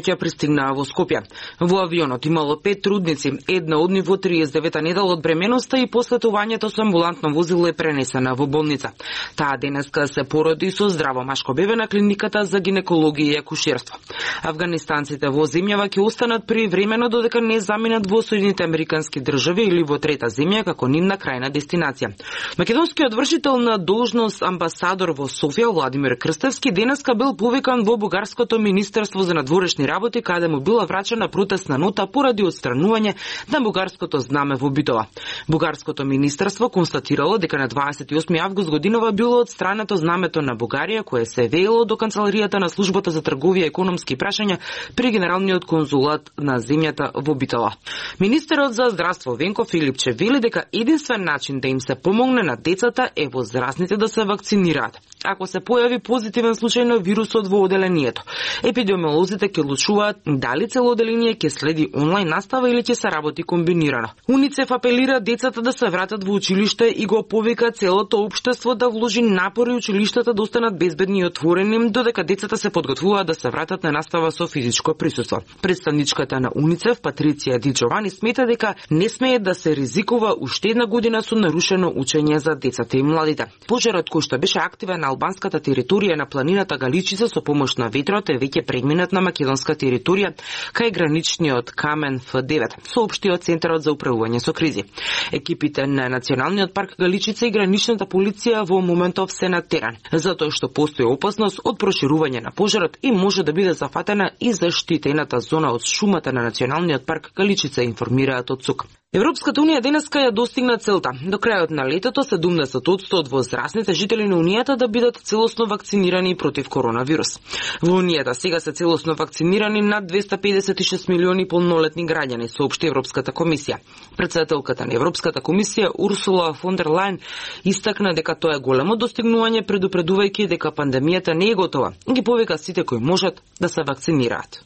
ноќ пристигнаа во Скопје. Во авионот имало 5 трудници, една од нив во 39-та недела од бременоста и посетувањето со амбулантно возило е пренесена во болница. Таа денеска се породи со здраво машко бебе на клиниката за гинекологија и акушерство. Афганистанците во земјава ќе останат привремено додека не заминат во Соединените Американски држави или во трета земја како нивна крајна дестинација. Македонскиот вршител на должност амбасадор во Софија Владимир Крстевски денеска бил повикан во бугарското министерство за надворешни работи, каде му била врачена протестна нота поради отстранување на бугарското знаме во Битола. Бугарското министерство констатирало дека на 28 август годинова било отстрането знамето на Бугарија, кое се веело до канцеларијата на службата за трговија и економски прашања при генералниот конзулат на земјата во Битола. Министерот за здравство Венко Филипче вели дека единствен начин да им се помогне на децата е возрастните да се вакцинираат. Ако се појави позитивен случај на вирусот во оделението, епидемиолозите ќе одлучуваат дали цело оделение ќе следи онлайн настава или ќе се работи комбинирано. УНИЦЕФ апелира децата да се вратат во училиште и го повика целото општество да вложи напори училиштата да останат безбедни и отворени, додека децата се подготвуваат да се вратат на настава со физичко присуство. Представничката на УНИЦЕФ Патриция Ди Джовани смета дека не смее да се ризикува уште една година со нарушено учење за децата и младите. Пожарот кој што беше активен на албанската територија на планината Галичица со помош на ветрот е веќе преминат на македонска територија кај граничниот камен Ф9, соопштиот Центарот за управување со кризи. Екипите на Националниот парк Галичица и граничната полиција во моментов се на терен, затоа што постои опасност од проширување на пожарот и може да биде зафатена и заштитената зона од шумата на Националниот парк Галичица, информираат од ЦУК. Европската унија денеска ја достигна целта. До крајот на летото 70% од возрастните жители на унијата да бидат целосно вакцинирани против коронавирус. Во унијата сега се целосно вакцинирани над 256 милиони полнолетни граѓани, соопшти Европската комисија. Претседателката на Европската комисија Урсула фон дер Лајен истакна дека тоа е големо достигнување, предупредувајќи дека пандемијата не е готова. Ги повика сите кои можат да се вакцинираат.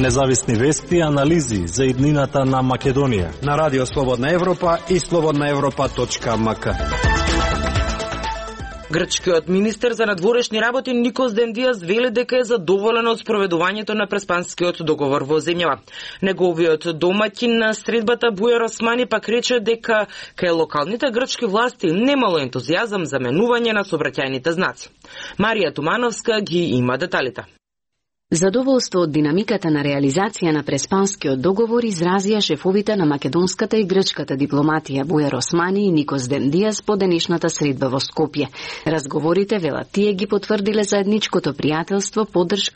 Независни вести и анализи за иднината на Македонија на Радио Слободна Европа и slobodnaevropa.mk. Грчкиот министер за надворешни работи Никос Дендијас вели дека е задоволен од спроведувањето на преспанскиот договор во земјава. Неговиот домаќин на средбата Бујар Османи пак рече дека кај локалните грчки власти немало ентузијазам за менување на сообраќајните знаци. Марија Тумановска ги има деталите. Задоволство од динамиката на реализација на преспанскиот договор изразија шефовите на македонската и грчката дипломатија Бујар Османи и Никос Дендијас по денешната средба во Скопје. Разговорите, велат тие, ги потврдиле заедничкото пријателство, поддршка